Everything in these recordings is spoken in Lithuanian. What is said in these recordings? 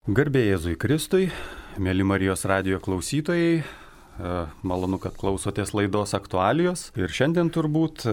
Garbė Jėzui Kristui, mėly Marijos radijo klausytojai, malonu, kad klausotės laidos aktualijos. Ir šiandien turbūt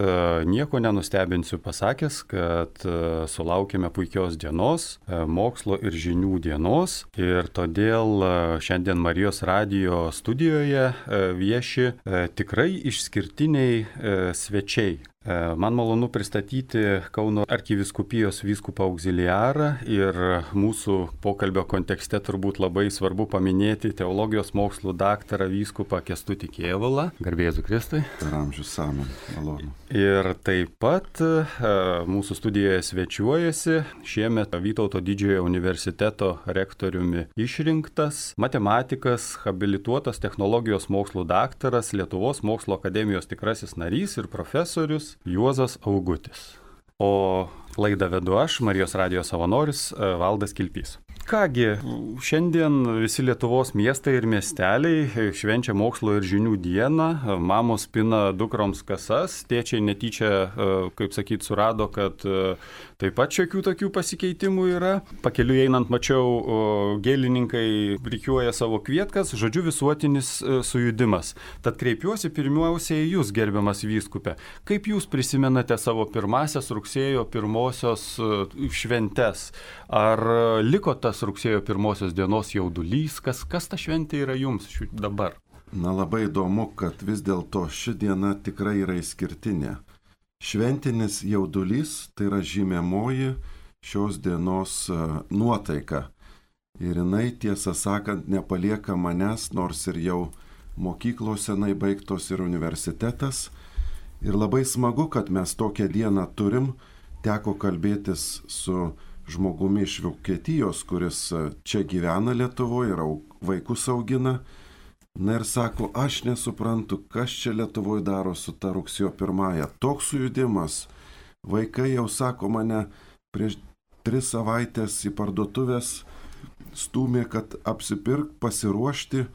nieko nenustebinsiu pasakęs, kad sulaukėme puikios dienos, mokslo ir žinių dienos. Ir todėl šiandien Marijos radijo studijoje vieši tikrai išskirtiniai svečiai. Man malonu pristatyti Kauno arkivyskupijos vyskupą auxiliarą ir mūsų pokalbio kontekste turbūt labai svarbu paminėti teologijos mokslų daktarą vyskupą Kęstutį Kėvalą. Garbė Jėzui Kristui. Per amžius amen. Malonu. Ir taip pat mūsų studijoje svečiuojasi šiemet Vytauto didžiojo universiteto rektoriumi išrinktas matematikas, habilituotas technologijos mokslų daktaras, Lietuvos mokslo akademijos tikrasis narys ir profesorius Juozas Augutis. O laidą vedu aš, Marijos radijo savanoris Valdas Kilpys. Kągi, šiandien visi Lietuvos miestai ir miesteliai švenčia mokslo ir žinių dieną, mamos pina dukroms kasas, tėčiai netyčia, kaip sakyt, surado, kad taip pat šiokių tokių pasikeitimų yra. Pakeliui einant mačiau, gėlininkai rikiuoja savo kvietkas, žodžiu visuotinis sujudimas. Tad kreipiuosi pirmiausiai į jūs, gerbiamas vyskupe. Kaip jūs prisimenate savo pirmasias rugsėjo pirmosios šventes? Ar liko tas rugsėjo pirmosios dienos jaudulys? Kas ta šventė yra jums dabar? Na, labai įdomu, kad vis dėlto ši diena tikrai yra išskirtinė. Šventinis jaudulys tai yra žymėmoji šios dienos nuotaika. Ir jinai, tiesą sakant, nepalieka manęs, nors ir jau mokyklos senai baigtos ir universitetas. Ir labai smagu, kad mes tokią dieną turim. Teko kalbėtis su žmogumi iš Vokietijos, kuris čia gyvena Lietuvoje ir vaikus augina. Na ir sako, aš nesuprantu, kas čia Lietuvoje daro su ta rugsėjo pirmąja. Toks sujudimas. Vaikai jau sako mane prieš 3 savaitės į parduotuvės stūmė, kad apsipirk, pasiruošti.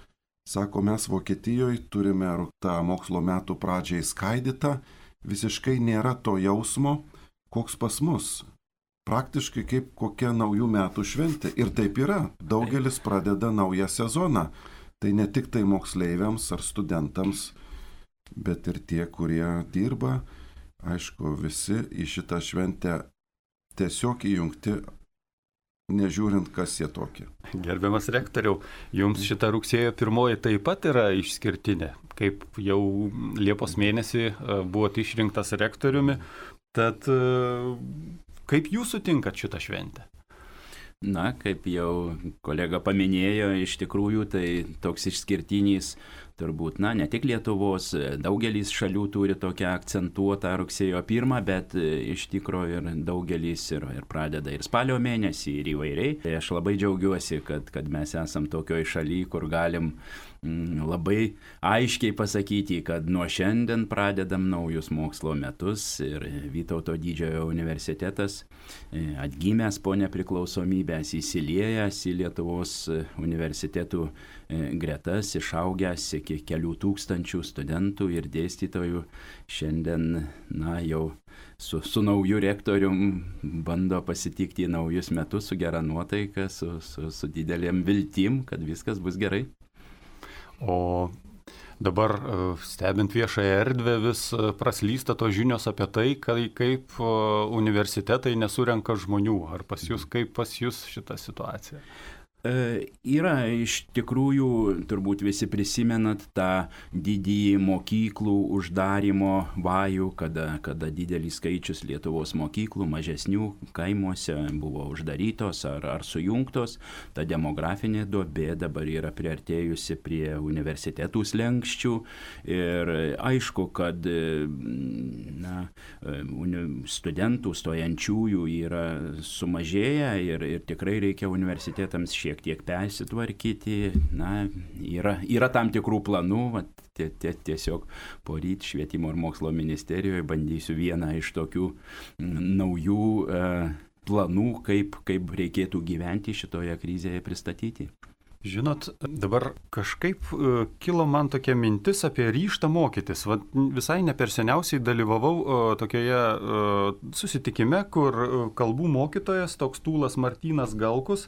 Sako, mes Vokietijoje turime tą mokslo metų pradžią įskaidytą. Visiškai nėra to jausmo, koks pas mus. Praktiškai kaip kokia naujų metų šventė. Ir taip yra. Daugelis pradeda naują sezoną. Tai ne tik tai moksleiviams ar studentams, bet ir tie, kurie dirba. Aišku, visi į šitą šventę tiesiog įjungti, nežiūrint, kas jie tokie. Gerbiamas rektoriau, jums šita rugsėjo pirmoji taip pat yra išskirtinė. Kaip jau Liepos mėnesį buvote išrinktas rektoriumi, tad kaip jūs sutinkat šitą šventę? Na, kaip jau kolega paminėjo, iš tikrųjų tai toks išskirtinis, turbūt, ne tik Lietuvos, daugelis šalių turi tokią akcentuotą rugsėjo 1, bet iš tikrųjų ir daugelis ir pradeda ir spalio mėnesį ir įvairiai. Tai aš labai džiaugiuosi, kad mes esam tokioj šaly, kur galim labai aiškiai pasakyti, kad nuo šiandien pradedam naujus mokslo metus ir Vytauto didžiojo universitetas atgimęs po nepriklausomybės, įsiliejęs į Lietuvos universitetų gretas, išaugęs iki kelių tūkstančių studentų ir dėstytojų, šiandien jau su nauju rektorium bando pasitikti naujus metus su gera nuotaika, su didelėm viltim, kad viskas bus gerai. O dabar stebint viešąją erdvę vis praslysta tos žinios apie tai, kaip universitetai nesurenka žmonių. Ar pas jūs, kaip pas jūs šita situacija? Yra iš tikrųjų, turbūt visi prisimenat tą didįjį mokyklų uždarimo vajų, kada didelis skaičius Lietuvos mokyklų, mažesnių kaimuose buvo uždarytos ar sujungtos. Ta demografinė duobė dabar yra priartėjusi prie universitetų slenksčių ir aišku, kad studentų stojančiųjų yra sumažėję ir tikrai reikia universitetams šiek tiek persitvarkyti. Yra tam tikrų planų, tiesiog poryt švietimo ir mokslo ministerijoje bandysiu vieną iš tokių naujų planų, kaip reikėtų gyventi šitoje krizėje pristatyti. Žinot, dabar kažkaip kilo man tokia mintis apie ryžtą mokytis. Visai ne per seniausiai dalyvavau tokioje susitikime, kur kalbų mokytojas, toks Tūlas Martynas Galkus,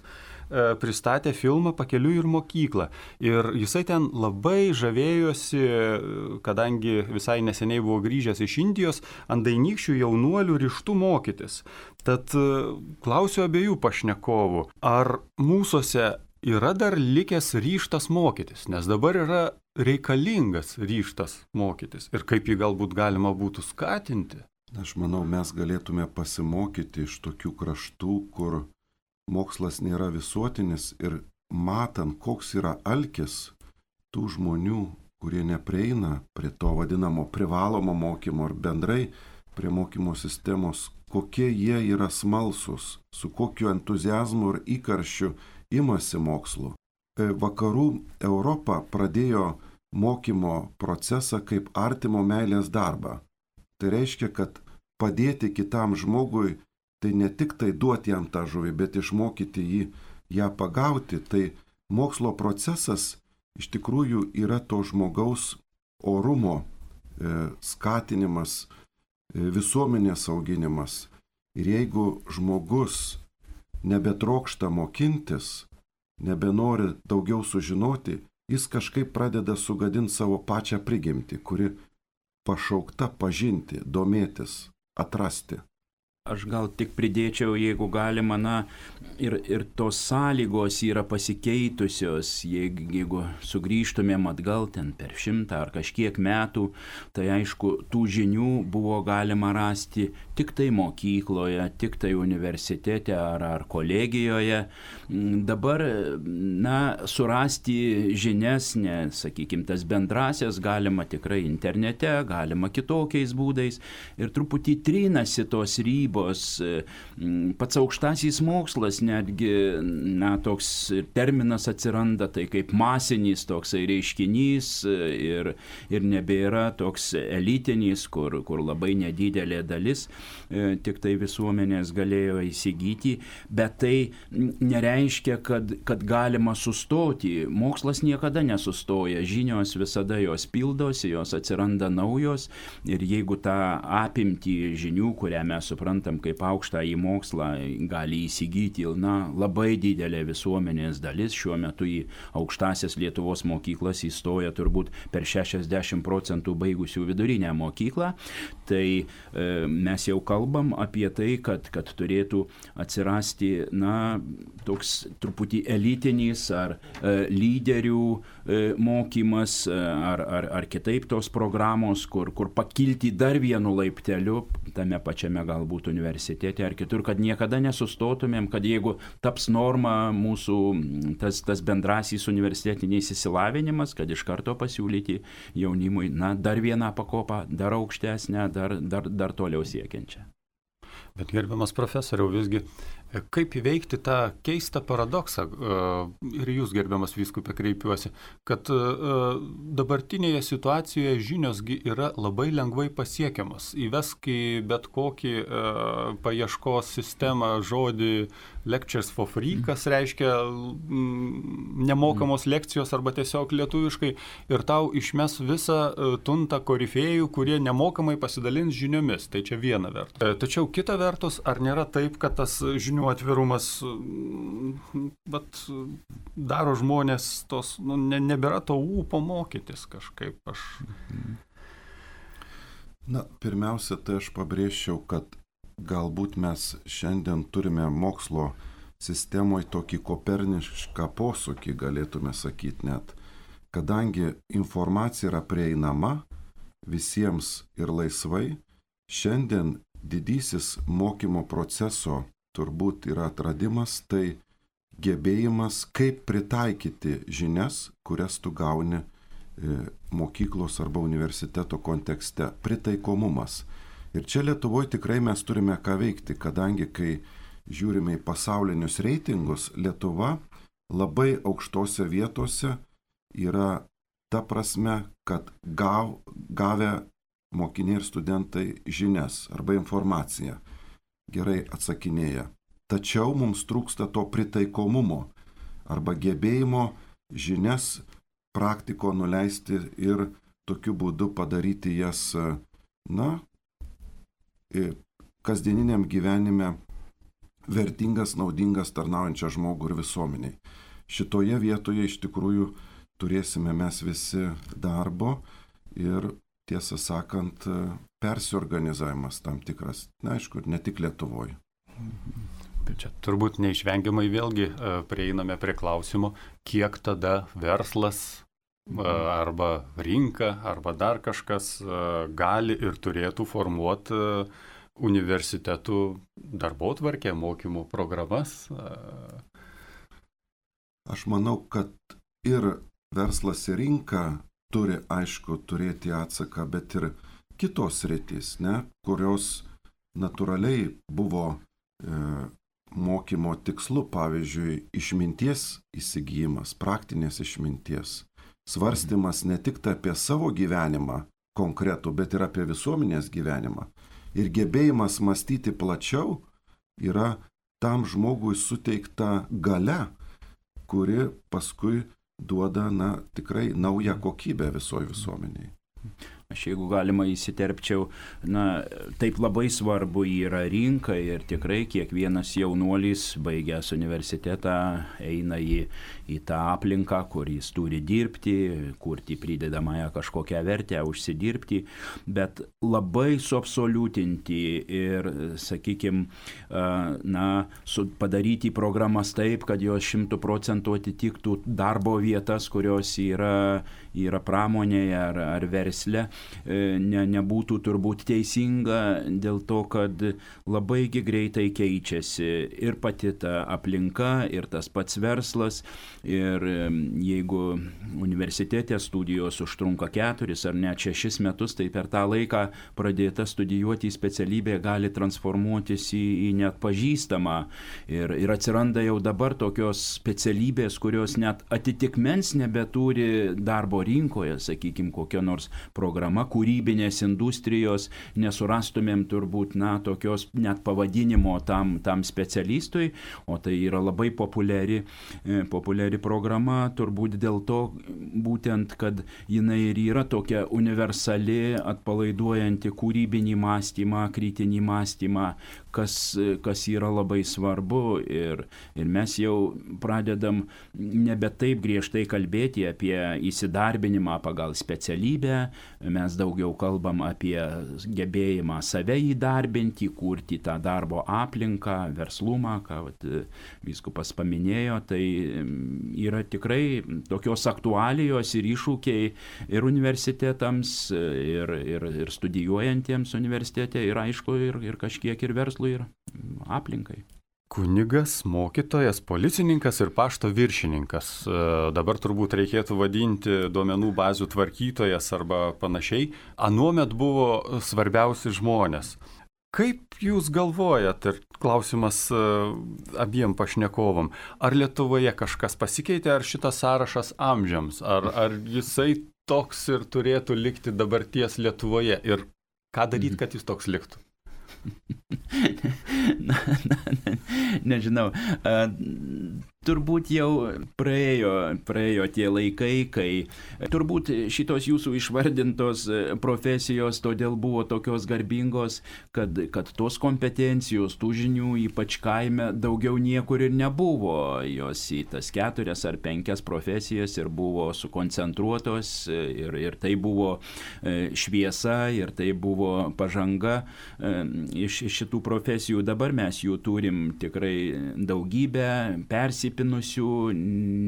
pristatė filmą Pakeliui ir mokyklą. Ir jisai ten labai žavėjosi, kadangi visai neseniai buvo grįžęs iš Indijos, ant dainykščių jaunuolių ryžtų mokytis. Tad klausiu abiejų pašnekovų, ar mūsuose yra dar likęs ryžtas mokytis, nes dabar yra reikalingas ryžtas mokytis ir kaip jį galbūt galima būtų skatinti? Aš manau, mes galėtume pasimokyti iš tokių kraštų, kur mokslas nėra visuotinis ir matant, koks yra alkis tų žmonių, kurie neprieina prie to vadinamo privalomo mokymo ar bendrai prie mokymo sistemos, kokie jie yra smalsūs, su kokiu entuziazmu ir įkarščiu imasi mokslų. Vakarų Europa pradėjo mokymo procesą kaip artimo meilės darbą. Tai reiškia, kad padėti kitam žmogui, tai ne tik tai duoti jam tą žuvį, bet išmokyti jį ją pagauti. Tai mokslo procesas iš tikrųjų yra to žmogaus orumo skatinimas, visuomenės auginimas. Ir jeigu žmogus nebetrokšta mokintis, nebenori daugiau sužinoti, jis kažkaip pradeda sugadinti savo pačią prigimtį, kuri pašaukta pažinti, domėtis, atrasti. Aš gal tik pridėčiau, jeigu galima, ir tos sąlygos yra pasikeitusios, jeigu sugrįžtumėm atgal ten per 100 ar kažkiek metų, tai aišku, tų žinių buvo galima rasti tik tai mokykloje, tik tai universitete ar kolegijoje. Dabar, surasti žinias, sakykime, tas bendrasias galima tikrai internete, galima kitokiais būdais ir truputį trinasi tos ribos. Pats aukštasis mokslas netgi, toks terminas atsiranda, tai kaip masinis toksai reiškinys ir nebėra toks elitinis, kur labai nedidelė dalis tik tai visuomenės galėjo įsigyti, bet tai nereiškia, kad galima sustoti. Mokslas niekada nesustoja, žinios visada jos pildosi, jos atsiranda naujos ir jeigu tą apimtį žinių, kurią mes suprantam kaip aukštąjį mokslą, gali įsigyti labai didelė visuomenės dalis. Šiuo metu į aukštąsias Lietuvos mokyklas įstoja turbūt per 60% baigusių vidurinę mokyklą. Tai mes jau kalbam apie tai, kad turėtų atsirasti toks truputį elitinis ar lyderių mokymas ar kitaip tos programos, kur pakilti dar vienu laipteliu tame pačiame galbūt universitete ar kitur, kad niekada nesustotumėm, kad jeigu taps norma mūsų tas bendrasis universitetinis išsilavinimas, kad iš karto pasiūlyti jaunimui, dar vieną pakopą, dar aukštesnę, dar toliau siekiančią. Bet gerbiamas profesoriau, visgi, kaip įveikti tą keistą paradoksą, ir jūs, gerbiamas vyskupė, kreipiuosi, kad dabartinėje situacijoje žiniosgi yra labai lengvai pasiekiamas. Įvesk į bet kokį paieškos sistemą žodį lectures for free, kas reiškia nemokamos lekcijos arba tiesiog lietuviškai, ir tau išmes visą tuntą korifėjų, kurie nemokamai pasidalins žiniomis. Tai čia viena vertus. Tačiau kita vertus, ar nėra taip, kad tas žinių atvirumas daro žmonės tos, nebėra to ūpo mokytis kažkaip? Pirmiausia, tai aš pabrėžčiau, kad galbūt mes šiandien turime mokslo sistemoje tokį kopernišką posūkį, galėtume sakyti net, kadangi informacija yra prieinama visiems ir laisvai, šiandien didysis mokymo proceso turbūt yra atradimas, tai gebėjimas, kaip pritaikyti žinias, kurias tu gauni mokyklos arba universiteto kontekste, pritaikomumas. Ir čia Lietuvoje tikrai mes turime ką veikti, kadangi kai žiūrime į pasaulinius reitingus, Lietuva labai aukštose vietose yra ta prasme, kad gavę mokiniai ir studentai žinias arba informaciją gerai atsakinėja. Tačiau mums trūksta to pritaikomumo arba gebėjimo žinias praktiko nuleisti ir tokiu būdu padaryti jas, kasdieniniam gyvenime vertingas, naudingas, tarnaujančias žmogų ir visuomeniai. Šitoje vietoje iš tikrųjų turėsime mes visi darbo ir, tiesą sakant, persiorganizavimas tam tikras. Na, aišku, ne tik Lietuvoje. Čia turbūt neišvengiamai vėlgi prieiname prie klausimo, kiek tada verslas arba rinka, arba dar kažkas gali ir turėtų formuoti universitetų darbotvarkę, mokymų programas. Aš manau, kad ir verslas ir rinka turi, aišku, turėti atsaką, bet ir kitos sritys, kurios natūraliai buvo mokymo tikslu, pavyzdžiui, išminties įsigijimas, praktinės išminties, svarstymas ne tik apie savo gyvenimą konkretų, bet ir apie visuomenės gyvenimą. Ir gebėjimas mąstyti plačiau yra tam žmogui suteikta galia, kuri paskui duoda, tikrai naują kokybę visoje visuomeniai. Aš jeigu galima įsiterpčiau, taip labai svarbu yra rinka ir tikrai kiekvienas jaunuolis baigęs universitetą eina į tą aplinką, kur jis turi dirbti, kurti pridedamąją kažkokią vertę, užsidirbti, bet labai suabsoliutinti ir, sakykime, padaryti programas taip, kad jos 100% atitiktų darbo vietas, kurios yra pramonėje ar versle, nebūtų turbūt teisinga dėl to, kad labai greitai keičiasi ir pati ta aplinka, ir tas pats verslas. Ir jeigu universitete studijos užtrunka 4 ar net 6 metus, tai per tą laiką pradėta studijuoti specialybė gali transformuotis į neatpažįstamą. Ir atsiranda jau dabar tokios specialybės, kurios net atitikmens nebeturi darbo rinkoje, sakykime, kokia nors programa kūrybinės industrijos, nesurastumėm turbūt tokios net pavadinimo tam specialistui, o tai yra labai populiari programa, turbūt dėl to būtent, kad jinai ir yra tokia universali, atpalaiduojanti kūrybinį mąstymą, kritinį mąstymą, kas yra labai svarbu ir mes jau pradedam nebe taip griežtai kalbėti apie įsidarbinimą pagal specialybę, mes daugiau kalbam apie gebėjimą save įdarbinti, kurti tą darbo aplinką, verslumą, ką vyskupas paminėjo, tai yra tikrai tokios aktualijos ir iššūkiai ir universitetams, ir studijuojantiems universitete, ir aišku, ir kažkiek ir verslui, ir aplinkai. Kunigas, mokytojas, policininkas ir pašto viršininkas. Dabar turbūt reikėtų vadinti duomenų bazių tvarkytojas arba panašiai. Anuomet buvo svarbiausi žmonės. Kaip jūs galvojat, ir klausimas abiem pašnekovam, ar Lietuvoje kažkas pasikeitė, ar šitas sąrašas amžiams, ar jisai toks ir turėtų likti dabarties Lietuvoje ir ką daryti, kad jis toks liktų? Nežinau, turbūt jau praėjo tie laikai, kai turbūt šitos jūsų išvardintos profesijos todėl buvo tokios garbingos, kad tos kompetencijos, tų žinių, ypač kaime, daugiau niekur ir nebuvo. Jos į tas 4 ar 5 profesijas ir buvo sukoncentruotos ir tai buvo šviesa ir tai buvo pažanga iš šitų profesijų. Dabar mes jų turim tikrai daugybę, persipinusių,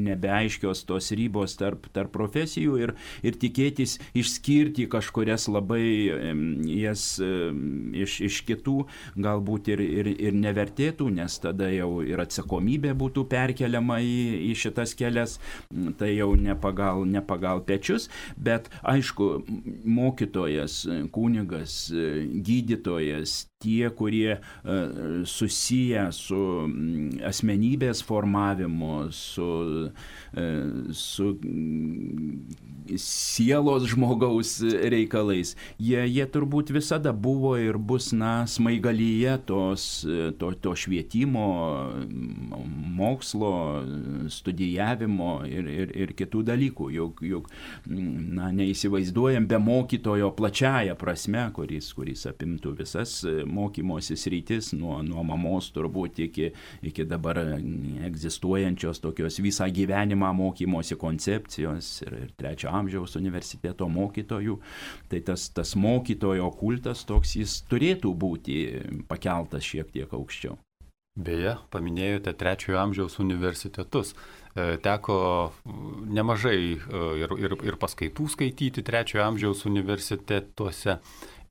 nebeaiškios tos ribos tarp profesijų ir tikėtis išskirti kažkurias labai jas iš kitų galbūt ir nevertėtų, nes tada jau ir atsakomybė būtų perkeliama į šitas kelias, tai jau ne pagal pečius, bet aišku, mokytojas, kunigas, gydytojas, tie, kurie susiję su asmenybės formavimu, bendravimu, su sielos žmogaus reikalais. Jie turbūt visada buvo ir bus, smaigalyje to švietimo, mokslo, studijavimo ir kitų dalykų. Juk neįsivaizduojam be mokytojo plačiaja prasme, kuris apimtų visas mokymosi sritis, nuo mamos turbūt iki dabar egzistuojančios tokios visą gyvenimą mokymosi koncepcijos ir trečio amžiaus universiteto mokytojų. Tai tas mokytojo kultas toks, jis turėtų būti pakeltas šiek tiek aukščiau. Beje, paminėjote trečiojo amžiaus universitetus. Teko nemažai ir paskaitų skaityti trečiojo amžiaus universitetuose.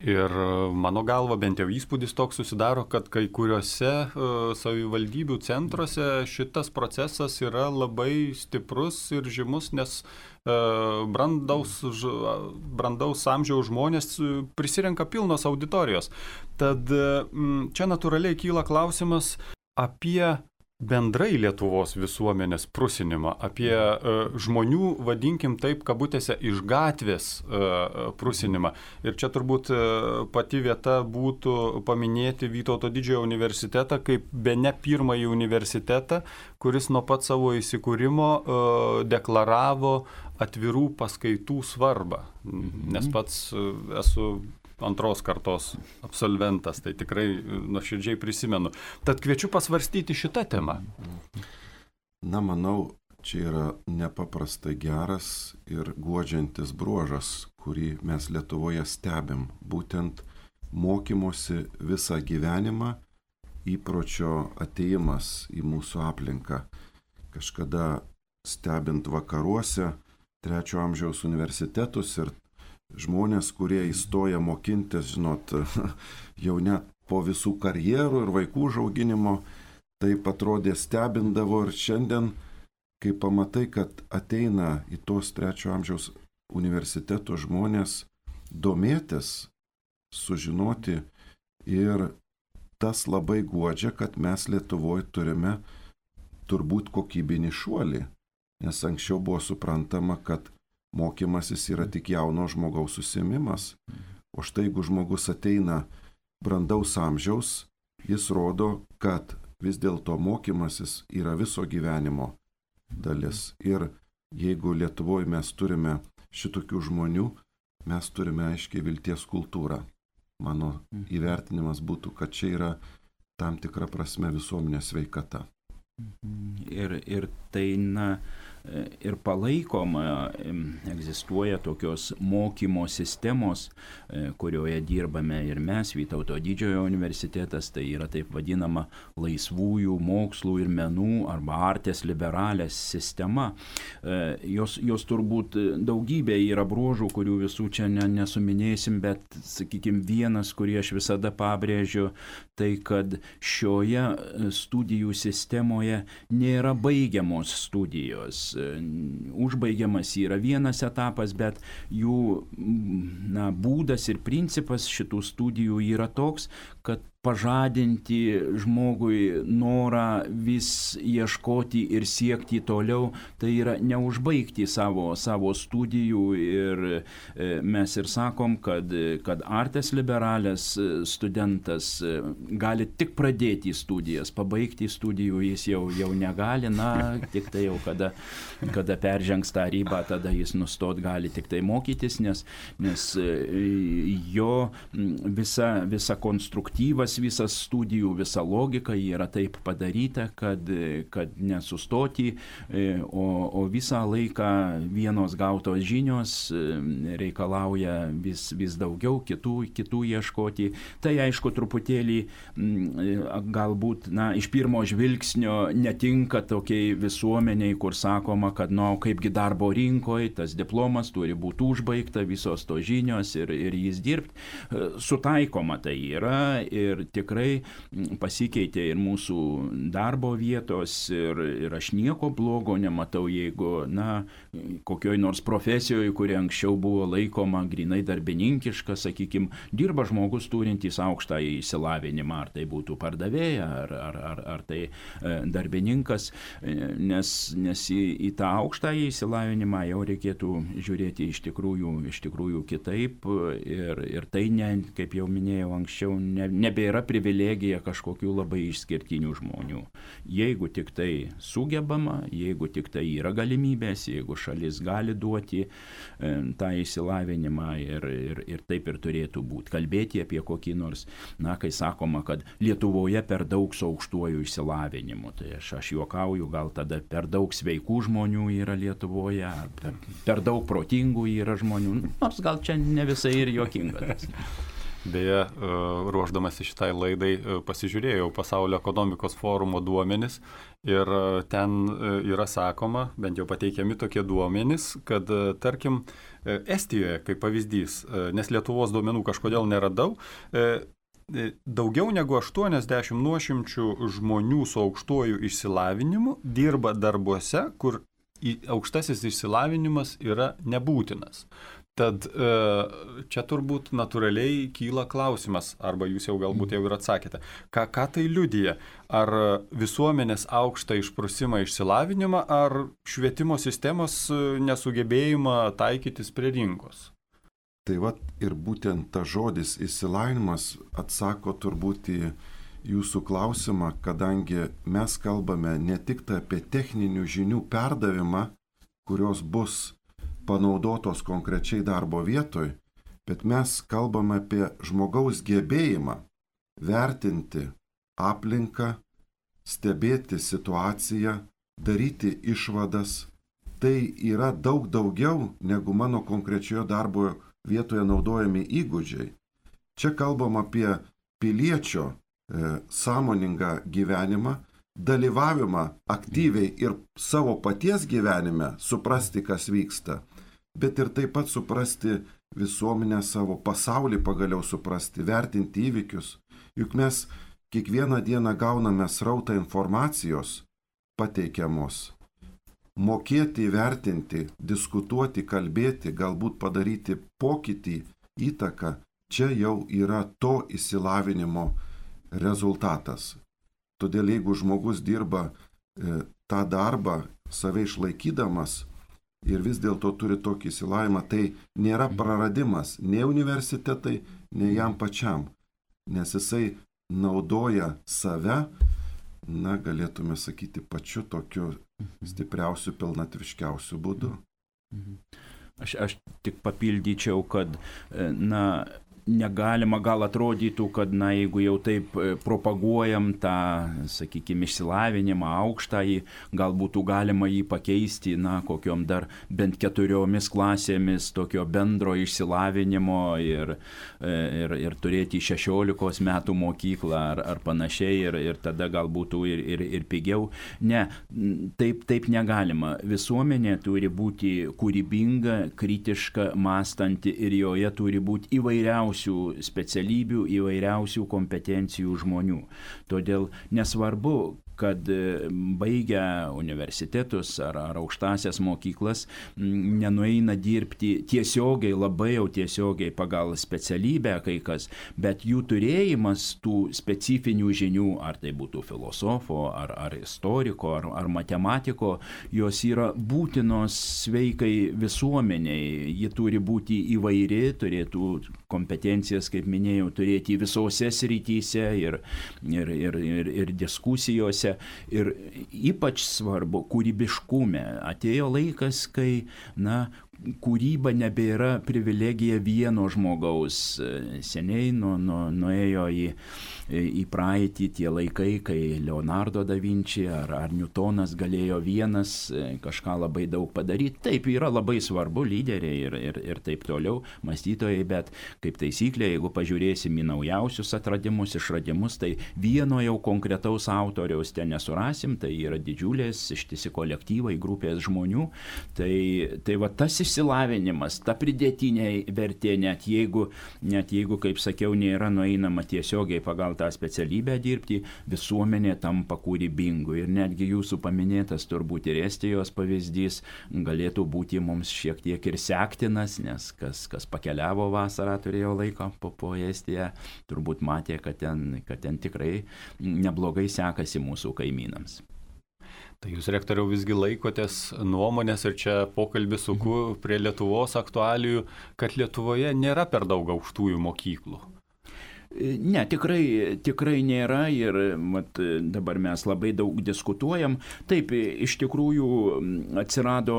Ir mano galva, bent jau įspūdis toks susidaro, kad kai kuriuose savivaldybių centruose šitas procesas yra labai stiprus ir žymus, nes brandaus amžiaus žmonės prisirenka pilnos auditorijos. Tad čia natūraliai kyla klausimas apie bendrai Lietuvos visuomenės prusinimą, apie žmonių, vadinkim taip, kabutėse, iš gatvės prusinimą. Ir čia turbūt pati vieta būtų paminėti Vytauto didžiojo universitetą kaip bene pirmąjį universitetą, kuris nuo pat savo įsikūrimo deklaravo atvirų paskaitų svarbą. Nes pats esu antros kartos absolventas, tai tikrai nuoširdžiai prisimenu. Tad kviečiu pasvarstyti šitą temą. Manau, čia yra nepaprastai geras ir guodžiantis bruožas, kurį mes Lietuvoje stebim. Būtent mokymosi visą gyvenimą, įpročio atėjimas į mūsų aplinką. Kažkada stebint vakaruose trečio amžiaus universitetus ir žmonės, kurie įstoja mokintis, jau net po visų karjerų ir vaikų užauginimo, taip atrodė stebindavo. Ir šiandien, kai pamatai, kad ateina į tos trečio amžiaus universiteto žmonės domėtis, sužinoti, ir tas labai guodžia, kad mes Lietuvoje turime turbūt kokybinį šuolį, nes anksčiau buvo suprantama, kad mokymasis yra tik jauno žmogaus užsiėmimas. O štai jeigu žmogus ateina brandaus amžiaus, jis rodo, kad vis dėlto mokymasis yra viso gyvenimo dalis. Ir jeigu Lietuvoje mes turime šitokių žmonių, mes turime aiškiai vilties kultūrą. Mano įvertinimas būtų, kad čia yra tam tikra prasme visuomenės sveikata. Ir tai, ir palaikoma, egzistuoja tokios mokymo sistemos, kurioje dirbame ir mes, Vytauto didžiojo universitetas, tai yra taip vadinama laisvųjų mokslų ir menų arba artes liberales sistema. Jos turbūt daugybė yra bruožų, kurių visų čia nesuminėsim, bet, sakykime, vienas, kurį aš visada pabrėžiu, tai kad šioje studijų sistemoje nėra baigiamos studijos. Užbaigiamas yra vienas etapas, bet jų būdas ir principas šitų studijų yra toks, kad pažadinti žmogui norą vis ieškoti ir siekti toliau, tai yra neužbaigti savo studijų. Ir mes ir sakom, kad artes liberales studentas gali tik pradėti studijas, pabaigti studijų jis jau negali, tik tai jau kada peržengs tą ribą, tada jis nustot gali tik tai mokytis, nes jo visa konstruktyvas, visas studijų, visa logika yra taip padaryta, kad nesustoti, o visą laiką vienos gautos žinios reikalauja vis daugiau, kitų ieškoti. Tai aišku, truputėlį galbūt iš pirmo žvilgsnio netinka tokiai visuomeniai, kur sakoma, kad kaipgi darbo rinkoje tas diplomas turi būti užbaigta, visos to žinios ir jis dirbti. Sutaikoma tai yra ir ir tikrai pasikeitė ir mūsų darbo vietos ir aš nieko blogo nematau, jeigu, kokioj nors profesijoje, kuri anksčiau buvo laikoma grinai darbininkiška, sakykime, dirba žmogus turintys aukštą išsilavinimą, ar tai būtų pardavėja, ar tai darbininkas, nes į tą aukštą išsilavinimą jau reikėtų žiūrėti iš tikrųjų kitaip ir tai, kaip jau minėjau anksčiau, nebėra privilegija kažkokių labai išskirtinių žmonių. Jeigu tik tai sugebama, jeigu tik tai yra galimybės, jeigu šalis gali duoti tą išsilavinimą ir taip ir turėtų būti. Kalbėti apie kokį nors, kai sakoma, kad Lietuvoje per daug su aukštuoju išsilavinimu. Tai aš juokauju, gal tada per daug sveikų žmonių yra Lietuvoje, per daug protingų yra žmonių, nors gal čia ne visai ir juokinga. Beje, ruoždamasi šitai laidai pasižiūrėjau Pasaulio ekonomikos forumo duomenis ir ten yra sakoma, bent jau pateikiami tokie duomenys, kad tarkim Estijoje, kaip pavyzdys, nes Lietuvos duomenų kažkodėl neradau, daugiau negu 80 nuošimčių žmonių su aukštuoju išsilavinimu dirba darbuose, kur aukštasis išsilavinimas yra nebūtinas. Tad čia turbūt natūraliai kyla klausimas, arba jūs jau galbūt jau ir atsakėte, ką tai liudija? Ar visuomenės aukštą išprusimą išsilavinimą, ar švietimo sistemos nesugebėjimą taikytis prie rinkos? Tai ir būtent ta žodis išsilavinimas atsako turbūt į jūsų klausimą, kadangi mes kalbame ne tik apie techninių žinių perdavimą, kurios bus panaudotos konkrečiai darbo vietoj, bet mes kalbame apie žmogaus gebėjimą vertinti aplinką, stebėti situaciją, daryti išvadas. Tai yra daug daugiau negu mano konkrečioje darbo vietoje naudojami įgūdžiai. Čia kalbam apie piliečio sąmoningą gyvenimą, dalyvavimą aktyviai ir savo paties gyvenime, suprasti, kas vyksta, bet ir taip pat suprasti visuomenę, savo pasaulį pagaliau suprasti, vertinti įvykius. Juk mes kiekvieną dieną gauname srautą informacijos pateikiamos. Mokėti įvertinti, diskutuoti, kalbėti, galbūt padaryti pokytį, įtaką, čia jau yra to išsilavinimo rezultatas. Todėl jeigu žmogus dirba tą darbą, save išlaikydamas ir vis dėlto turi tokį išsilavinimą, tai nėra praradimas nei universitetai, nei jam pačiam, nes jisai naudoja save, galėtume sakyti, pačiu tokiu stipriausiu, pilnatviškiausiu būdu. Aš tik papildyčiau, kad, negalima, gal atrodytų, kad, jeigu jau taip propaguojam tą, sakykime, išsilavinimą aukštąjį, gal būtų galima jį pakeisti, kokiom dar bent 4 klasėmis tokio bendro išsilavinimo ir turėti 16 metų mokyklą ar panašiai ir tada gal būtų ir pigiau. Ne, taip negalima. Visuomenė turi būti kūrybinga, kritiška, mąstanti ir joje turi būti įvairiausių specialybių, įvairiausių kompetencijų žmonių. Todėl nesvarbu, kad baigę universitetus ar aukštasias mokyklas nenueina dirbti tiesiogiai, labai jau tiesiogiai pagal specialybę kai kas, bet jų turėjimas tų specifinių žinių, ar tai būtų filosofo, ar istoriko, ar matematiko, jos yra būtinos sveikai visuomeniai. Ji turi būti įvairi, turėtų kompetencijas, kaip minėjau, turėti visose srityse ir diskusijose. Ir ypač svarbu kūrybiškume. Atėjo laikas, kai, kūryba nebėra privilegija vieno žmogaus. Seniai nuėjo į praeitį tie laikai, kai Leonardo da Vinci ar Newtonas galėjo vienas kažką labai daug padaryti. Taip, yra labai svarbu lyderiai ir taip toliau, mąstytojai, bet kaip taisyklė, jeigu pažiūrėsim į naujausius atradimus, išradimus, tai vieno jau konkretaus autoriaus ten nesurasim, tai yra didžiulės ištisi kolektyvai, grupės žmonių. Tai va tas išsilavinimas, ta pridėtinė vertė, net jeigu, kaip sakiau, nėra nueinama tiesiogiai pagal tą specialybę dirbti, visuomenė tampa kūrybingu. Ir netgi jūsų paminėtas turbūt ir Estijos pavyzdys galėtų būti mums šiek tiek ir sektinas, nes kas pakeliavo vasarą, turėjo laiko po Estiją, turbūt matė, kad ten tikrai neblogai sekasi mūsų kaimynams. Tai jūs, rektoriau, visgi laikotės nuomonės ir čia pokalbį suku prie Lietuvos aktualijų, kad Lietuvoje nėra per daug aukštųjų mokyklų. Ne, tikrai nėra ir dabar mes labai daug diskutuojam. Taip, iš tikrųjų atsirado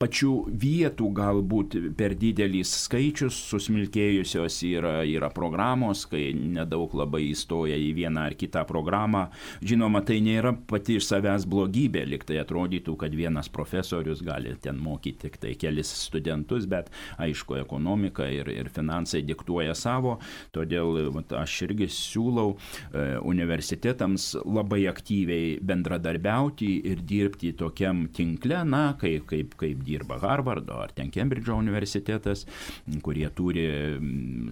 pačių vietų galbūt per didelis skaičius, susmilkėjusios yra programos, kai nedaug labai įstoja į vieną ar kitą programą. Žinoma, tai nėra pati iš savęs blogybė, lyg tai atrodytų, kad vienas profesorius gali ten mokyti tik tai kelis studentus, bet aišku, ekonomika ir finansai diktuoja savo, todėl aš irgi siūlau universitetams labai aktyviai bendradarbiauti ir dirbti tokiam tinkle, kaip dirba Harvardo ar ten Kembridžo universitetas, kurie turi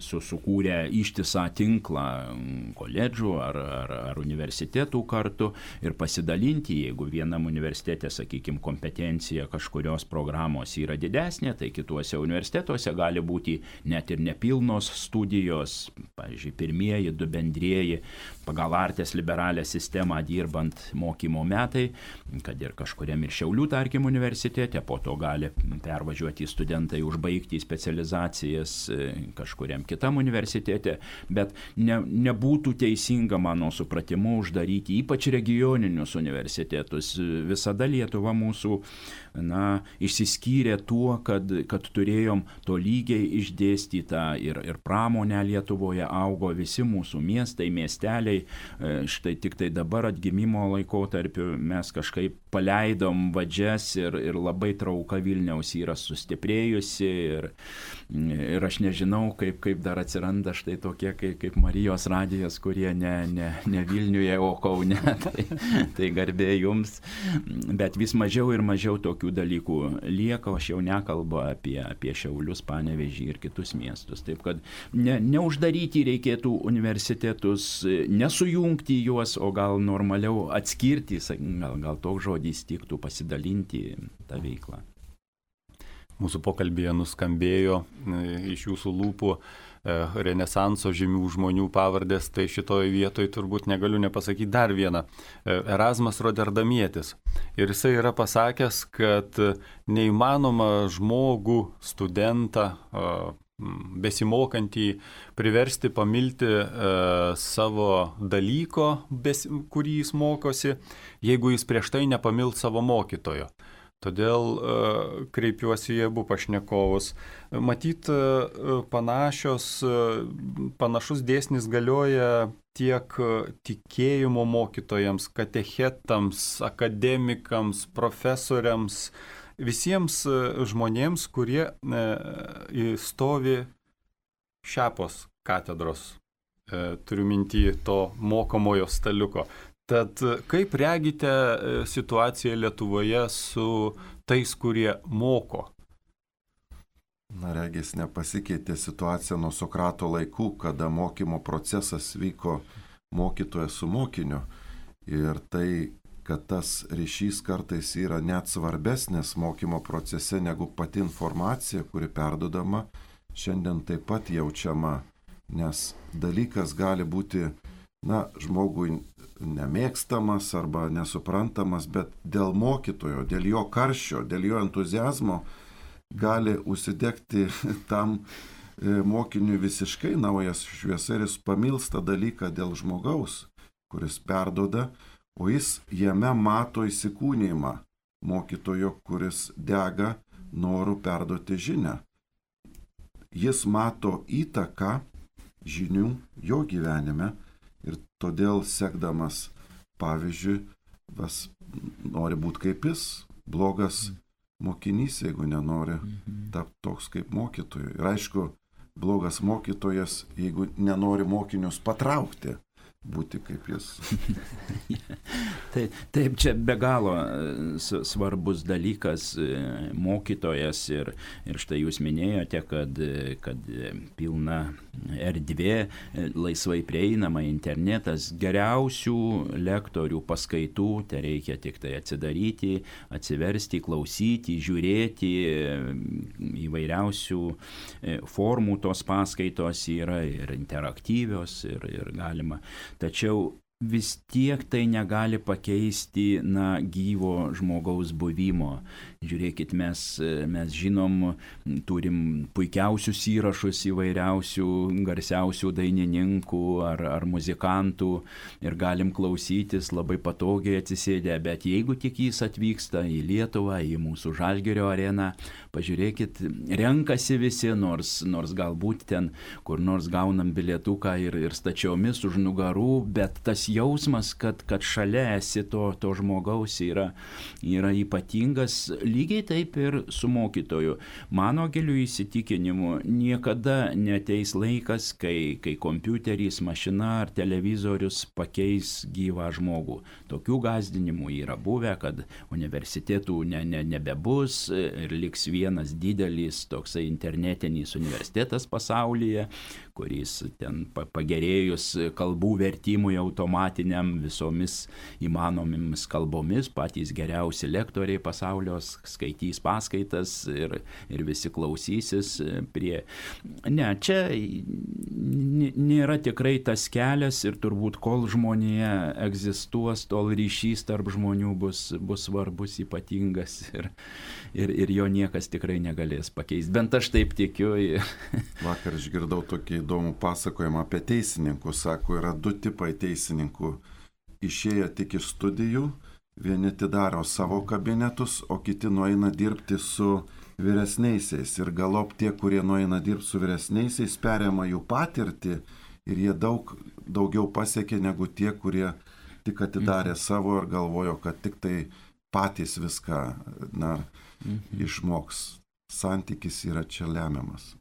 sukūrę ištisą tinklą koledžų ar universitetų kartu ir pasidalinti, jeigu vienam universitete, sakykime, kompetencija kažkurios programos yra didesnė, tai kituose universitetuose gali būti net ir nepilnos studijos, pavyzdžiui, pirmieji, du bendrieji pagal Artes liberalę sistemą dirbant mokymo metai, kad ir kažkuriam ir Šiaulių, tarkim, universitete, po to gali pervažiuoti studentai, užbaigti specializacijas kažkuriam kitam universitete, bet nebūtų teisinga, mano supratimu, uždaryti ypač regioninius universitetus. Visada Lietuva mūsų išsiskyrė tuo, kad turėjom tolygiai išdėstytą ir pramonę Lietuvoje, augo visi mūsų miestai, miesteliai. Štai tik tai dabar atgimimo laikotarpiu mes kažkaip paleidom vadžias ir labai trauka Vilniaus yra sustiprėjusi ir aš nežinau, kaip dar atsiranda štai tokie kaip Marijos radijas, kurie ne Vilniuje, o Kaune. Tai garbė jums, bet vis mažiau ir mažiau tokių dalykų lieka, aš jau nekalbu apie Šiaulius, Panevėžį ir kitus miestus. Taip kad neuždaryti reikėtų universitetus, nesujungti juos, o gal normaliau atskirti, gal toks žodis tiktų, pasidalinti tą veiklą. Mūsų pokalbėje nuskambėjo iš jūsų lūpų Renesanso žymių žmonių pavardės, tai šitoje vietoje turbūt negaliu nepasakyti dar vieną. Erasmas Roterdamietis. Ir jisai yra pasakęs, kad neįmanoma žmogų, studentą, besimokantį priversti pamilti savo dalyko, kurį jis mokosi, jeigu jis prieš tai nepamilt savo mokytojo. Todėl kreipiuosi į abu pašnekovus. Matyt, panašus dėsnis galioja tiek tikėjimo mokytojams, katechetams, akademikams, profesoriams, visiems žmonėms, kurie stovi šiapos katedros, turiu minty to mokomojo staliuko. Tad kaip regite situaciją Lietuvoje su tais, kurie moko? Regis nepasikeitė situacija nuo Sokrato laikų, kada mokymo procesas vyko mokytojas su mokiniu. Ir tai, kad tas ryšys kartais yra net svarbesnis mokymo procese negu pati informacija, kuri perdodama, šiandien taip pat jaučiama, nes dalykas gali būti, žmogui nemėgstamas arba nesuprantamas, bet dėl mokytojo, dėl jo karščio, dėl jo entuziazmo gali užsidegti tam mokiniui visiškai naujas šviesa ir jis pamilsta dalyką dėl žmogaus, kuris perdoda, o jis jame mato įsikūnijimą mokytojo, kuris dega noru perduoti žinią. Jis mato įtaką žinių jo gyvenime ir todėl sekdamas pavyzdžiui, nori būti kaip jis, blogas mokinys, jeigu nenori tapti toks kaip mokytojui. Ir aišku, blogas mokytojas, jeigu nenori mokinius patraukti, būti kaip jis. Taip, čia be galo svarbus dalykas mokytojas ir štai jūs minėjote, kad pilna erdvė, laisvai prieinama internetas, geriausių lektorių paskaitų, tai reikia tik tai atsidaryti, atsiversti, klausyti, žiūrėti, įvairiausių formų tos paskaitos yra ir interaktyvios ir galima. Tačiau vis tiek tai negali pakeisti gyvo žmogaus buvimo. Žiūrėkit, mes žinom, turim puikiausius įrašus įvairiausių garsiausių dainininkų ar muzikantų ir galim klausytis labai patogiai atsisėdę, bet jeigu tik jis atvyksta į Lietuvą, į mūsų Žalgirio areną, pažiūrėkit, renkasi visi, nors galbūt ten kur nors gaunam bilietuką ir stačiomis už nugarų, bet tas jausmas, kad šalia esi to žmogaus yra ypatingas. Lygiai taip ir su mokytoju. Mano giliu įsitikinimu, niekada neateis laikas, kai kompiuteris, mašina ar televizorius pakeis gyvą žmogų. Tokių gąsdinimų yra buvę, kad universitetų nebebus ir liks vienas didelis toksai internetinis universitetas pasaulyje, kuris ten pagerėjus kalbų vertimui automatiniam visomis įmanomis kalbomis, patys geriausi lektoriai pasaulio skaitys paskaitas ir visi klausysis prie. Ne, čia nėra tikrai tas kelias ir turbūt kol žmonėje egzistuos, tol ryšys tarp žmonių bus svarbus, ypatingas ir jo niekas tikrai negalės pakeisti. Bent aš taip tikiu. Vakar išgirdau tokį įdomų pasakojimą apie teisininkus. Sako, yra du tipai teisininkų. Išėję tik iš studijų, vieni atidaro savo kabinetus, o kiti nueina dirbti su vyresniaisiais. Ir galop tie, kurie nueina dirbti su vyresniaisiais, perima jų patirtį ir jie daugiau pasiekė negu tie, kurie tik atidarė savo ir galvojo, kad tik tai patys viską išmoks. Santykis yra čia lemiamas.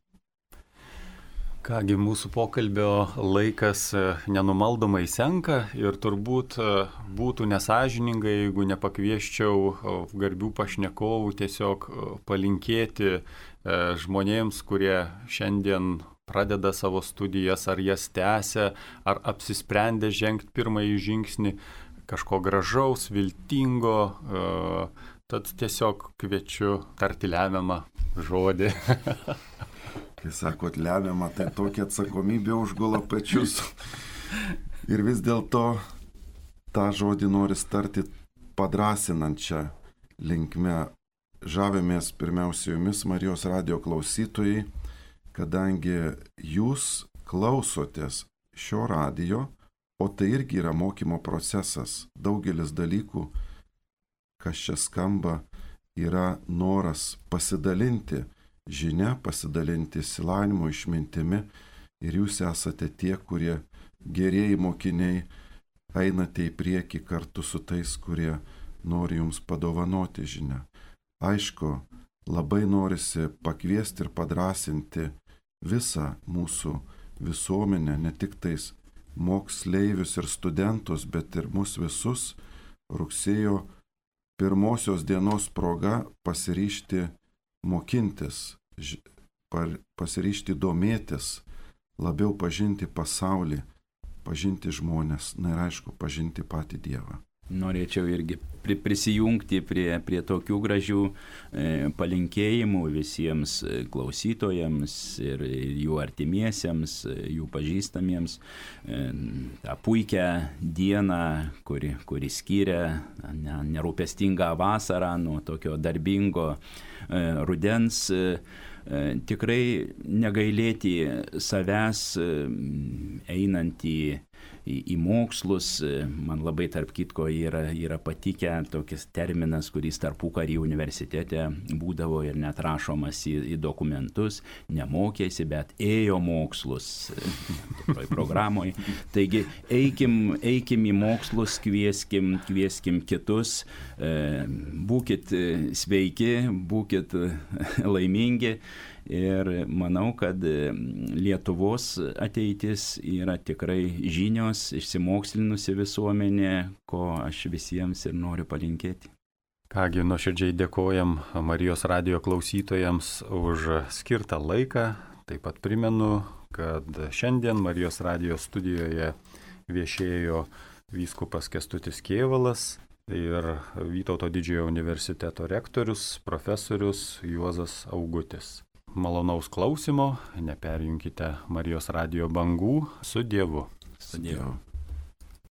Kągi, mūsų pokalbio laikas nenumaldomai senka ir turbūt būtų nesąžininga, jeigu nepakvieščiau garbių pašnekovų tiesiog palinkėti žmonėms, kurie šiandien pradeda savo studijas, ar jas tęsia, ar apsisprendė žengti pirmąjį žingsnį, kažko gražaus, viltingo, tad tiesiog kviečiu tarti lemiamą žodį. Kai sakot lemiamą, tai tokia atsakomybė užgula pečius. Ir vis dėlto tą žodį nori tarti padrasinančią linkme. Žavimės pirmiausia jumis, Marijos radijo klausytojai, kadangi jūs klausotės šio radijo, o tai irgi yra mokymo procesas. Daugelis dalykų, kas čia skamba, yra noras pasidalinti žinia, pasidalinti išsilavinimu, išmintimi, ir jūs esate tie, kurie gerieji mokiniai einate į priekį kartu su tais, kurie nori jums padovanoti žinią. Aišku, labai norisi pakviesti ir padrasinti visą mūsų visuomenę, ne tik tais moksleivius ir studentus, bet ir mus visus rugsėjo 1 dienos proga pasiryžti mokintis, pasiryžti domėtis, labiau pažinti pasaulį, pažinti žmonės, ir aišku, pažinti patį Dievą. Norėčiau irgi prisijungti prie tokių gražių palinkėjimų visiems klausytojams ir jų artimiesiems, jų pažįstamiems. Ta puikia diena, kuri skiria nerūpestingą vasarą nuo tokio darbingo rudens. Tikrai negailėti savęs einant į mokslus. Man labai tarp kitko yra patikę tokis terminas, kuris tarpukarį universitete būdavo ir net rašomas į dokumentus. Nemokėsi, bet ėjo mokslus toj programoje. Taigi eikim į mokslus, kvieskim kitus, būkit sveiki, būkit laimingi Ir manau, kad Lietuvos ateitis yra tikrai žinios, išsimokslinusi visuomenė, ko aš visiems ir noriu palinkėti. Kągi, nuoširdžiai dėkojam Marijos radijo klausytojams už skirtą laiką. Taip pat primenu, kad šiandien Marijos radijo studijoje viešėjo vyskupas Kęstutis Kėvalas ir Vytauto didžiojo universiteto rektorius, profesorius Juozas Augutis. Malonaus klausimo, neperjunkite Marijos radijo bangų. Su Dievu. Su Dievu.